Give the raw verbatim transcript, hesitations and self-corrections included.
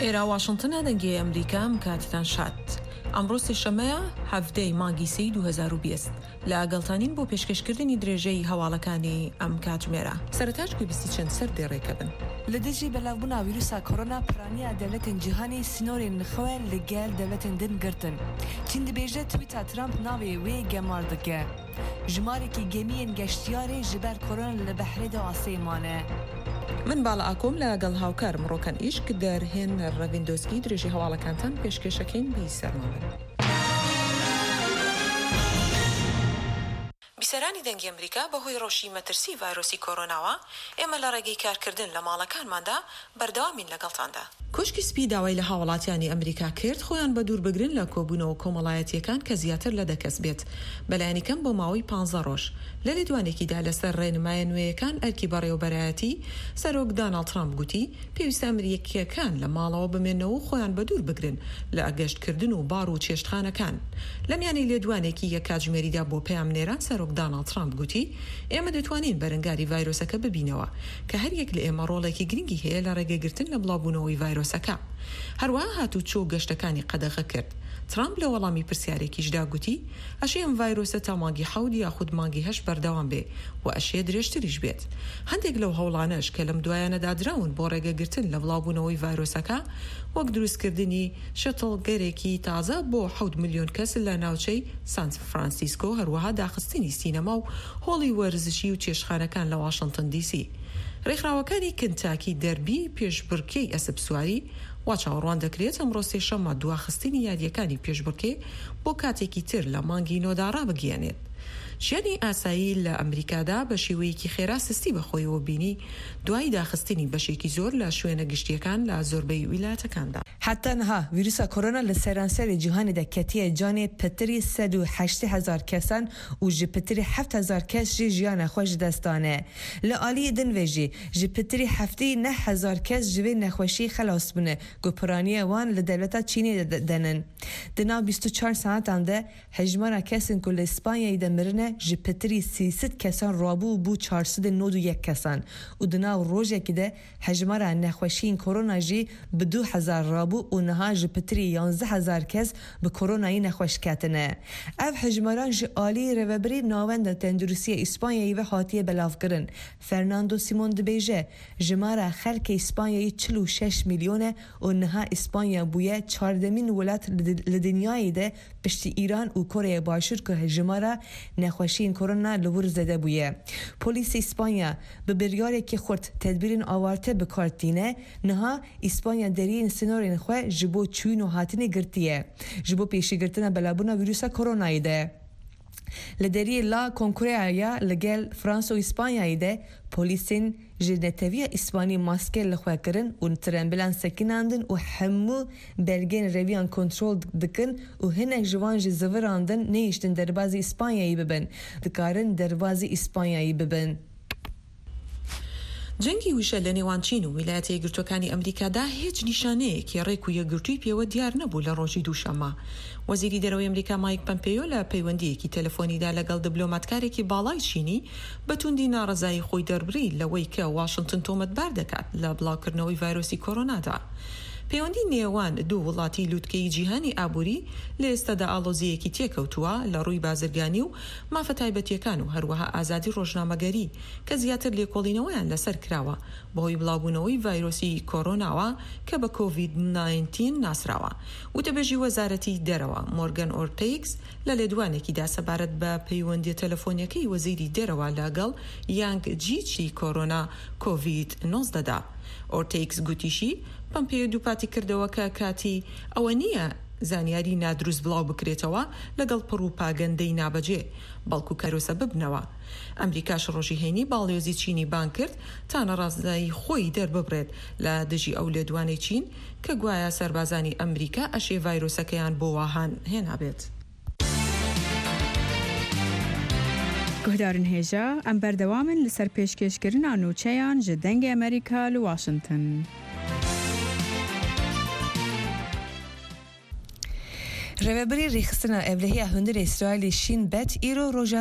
ئێرە واشنتنە دەنگی ئەمریکا ئەم کاتتان شاد. ئەمڕۆ سێشەممەیە حەڤدە ی مانگی سێی دوو هەزار و بیست. لە گەڵتانین بۆ پێشکەشکردنی درێژەی هەواڵەکانی ئەم کاتژمێرە. سەرەتاش گوێبیستی چەند سەردێڕێکە بن. لە دژی بەلاوبوونا ویروسا کۆرۆنا پرانیا دەولەتێن جیهانێ سینۆرێن خوێ لە گەل دەولەتێن دن گرتن. چین دبێژە تویتا ترامپ ناوێ وێ گەمار دکە. ژمارێکی گەمیێن گەشتیارێ ژ بەر کۆرۆنا لە بەحرێ دە ئاسێ مانە. من باڵا ئاکۆم لە گەڵ هاوکارم ڕۆکەن ئیشک دەرهێنەر ڕەڤین دۆسکی درێژەی هەواڵەکانتان پێشکێشەکەین بیسەرمان بن. بیسەرانی دەنگی ئەمریکا بەهۆی ڕەوشی مەترسی ڤایرۆسی کۆرۆناوە، ئێمە لە ڕێگەی کارکردن لە ماڵەکانماندا بەردەوامین لەگەڵتاندا. کۆشکی سپی داوای لە هاوڵاتیانی ئەمریکا کرد خۆیان بەدووربگرن لە کۆبوونەوە کۆمەڵایەتییەکان کە زیاتر لە دە کەس بێت بەلایەنی کەم بۆ ماوەی پانزە ڕۆژ. لە لێدوانێکیدا لەسەر ڕێنمایە نوێیەکان ئەرکی بەڕێوەبەرایەتی سەرۆک داناڵد ترامپ گوتی پێویستە ئەمریکییەکان لە ماڵەوە بمێنەوە و خۆیان بەدوور بگرن لە گەشتکردن و باڕ و چێشتخانەکان. لەمیانەی لێدوانێکی یەک کاتژمێریدا بۆ پەیامنێران سەرۆک داناڵد ترامپ گوتی ئێمە دەتوانین بەرەنگاری ڤایرۆسەکە ببینەوە کە هەریەک لە ئێمە ڕۆڵێکی گرنگی هەیە لە ڕێگەگرتن لە بڵاوبوونەوەی ڤایرۆسەکە. هەروەها هاتوچۆ و گەشتەکانی قەدەغە کرد. ترامپ لە وەڵامی پرسیارێکیشدا گوتی ئەشێ ئەم ڤایرۆسە تا مانگی حەوت یاخود مانگی هەشت بەردەوام بێ و ئەشێ درێژتریش بێت. هەندێک لەو هەوڵانەش کە لەم دوایانەدا دراون بۆ ڕێگەگرتن لە بڵاوبوونەوەی ڤایرۆسەکە وەک دروستکردنی شەتڵگەرێکی تازە بۆ حەوت ملیۆن کەس لە ناوچەی سان فرانسیسکۆ هەروەها داخستنی سینەما و هۆڵی وەرزشی و چێشتخانەکان لە واشنتن دی سی. ڕێکخراوەکانی کنتاکی دەربی پێشبڕکێی ئەسپسواری وا چاوەڕوان دەکرێت ئەمڕۆ سێشەممە دواخستنی یارییەکانی پێشبڕکێ بۆ کاتێکی تر لە مانگی نۆدا ڕابگەیەنێت. ژیانی ئاسایی لە ئەمریکادا بە شێوەیەکی خێرا سستی بەخۆیەوە بینی دوای داخستنی بەشێکی زۆر لە شوێنە گشتییەکان لە زۆربەی ویلایەتەکاندا. حەتا نها ویروسا کۆرۆنا لە سەرانسەرێ جیهانێ دە کەتیە جانێ پتری سەد و هەشتێ هەزار کەسان و ژ پتری حەفت هەزار کەس ژی ژیانە خوە ژ دەست دانێ. لە ئالیێ دن ڤێ ژی ژ پتری حەفتێ نە هەزار کەس ژ ڤێ نەخوەشیێ خەلاس بوونە کو پرانیە وان لە دەولەتا چینێ دە نن. د ناو بیست و چوار ساعەتان دە هەژمارا کەسێن کو لە ئیسپانیایێ دە مرنە ژ پتری سێ سەد کەسان ڕابوو و بوو چوار سەد و نۆد و یەک کەسان و د ناو ڕۆژێکی دە هەژمارا نەخوەشیێن کۆرۆنا ژی ب دوو هەزار ڕابوو و نها ژ پتری یانزە هەزار کەس ب کۆرۆنایێ نەخوەش کەتنە. ئەڤ هەژماران ژ ئالیێ ڕێڤەبەرێ ناوەندا تەندروستیە ئیسپانیایێ ڤە هاتیە بەلاڤکرن. فەرناندۆ سیمۆن دبێژە ژمارا خەلکێ ئیسپانیایێ چل و شەش ملیۆنە و نها ئیسپانیا بوویە چواردەمین وڵات لە دنیایێ دە پشتی ئیران و کۆرەیا باشوور کو ژمارا نەخوەشیێن کۆرۆنا لە ور زێدە بوویە. پۆلیسێ ئیسپانیا ب بریارێکی خورت تەدبیرێن ئاوارتە بکار تîne، نها ئیسپانیا دەریێن سینۆرێن خوە ژ بۆ چووین و هاتنێ گرتیە ژ بۆ پێشیگرتنا بەلاوبوونا ویروسا کۆرۆنایێ دە. لە دەریێ لا کۆنکوریا لە گەل فرانسا و ئیسپانیایێ دە پۆلیسێن ژ نەتەویە ئیسپانی ماسکێ لە خوە کرن و ترەمبیلان سەکیناندن و هەموو بەلگێن ڕێویان کۆنترۆل دکن و هینەک ژ وان ژ زڤراندن نەهیشتن دەربازی ئیسپانیایێ ببن دکارن دەربازی ئیسپانیایێ ببن. جەنگی وشە لە نێوان چین و ویلایەتە یەکگرتووەکانی ئەمریکادا هیچ نیشانەیەکی ڕێک و یەکگرتووی پێوە دیار نەبوو لە ڕۆژی دووشەممە. وەزیری دەرەوەی ئەمریکا مایک پەمپێیۆ لە پەیوەندییەکی تەلەفۆنیدا لەگەڵ دبلۆماتکارێکی باڵای چینی بە توندی ناڕەزایی خۆی دەربڕی لەوەی کە واشنتن تۆمەتبار دەکات لە بڵاوکردنەوەی ڤایرۆسی کۆرۆنادا. پەیوەندی نێوان دوو وڵاتی لوتکەی جیهانی ئابووری لە ئێستادا ئاڵۆزییەکی تێکەوتووە لە ڕووی بازرگانی و مافە تایبەتییەکان و هەروەها ئازادی ڕۆژنامەگەری کە زیاتر لێکۆڵینەوەیان لەسەر کراوە بەهۆی بڵاوبوونەوەی ڤایرۆسی کۆرۆناوە کە بە کۆڤید ناینتین ناسراوە. وتەبێژی وەزارەتی دەرەوە مۆرگەن ئۆرتەیگس لە لێدوانێکیدا سەبارەت بە پەیوەندییە تەلەفۆنییەکەی وەزیری دەرەوە لەگەڵ یانگ جیچی کۆرۆنا کۆڤید نۆزدە دا ئۆرتەیگس گوتیشی پەمپێیۆ دووپاتی کردەوە کە کاتی ئەوە نییە زانیاری نادروست بڵاو بکرێتەوە لەگەڵ پڕوپاگەندەی نابەجێ، بەڵکو کەرۆسە ببنەوە. ئەمریکاش ڕۆژی هەینی باڵیۆزی چینی بانگ کرد تا ناڕەزایی خۆی دەرببڕێت لە دژی ئەو لێدوانەی چین کە گوایە سەربازانی ئەمریکا ئەشێ ڤایرۆسەکەیان بۆ واهان هێنابێت. گوهدارن هێژا ئەم بەردەوامن لەسەر پێشکێشکردنا نوچەیان ژ دەنگێ ئەمریکا لە واشنتن. ڕێڤەبەرێ ڕێکخستنا ئەولەهیا هوندرێ ئیسرائیلێ شین بەت ئیرۆ ڕۆژا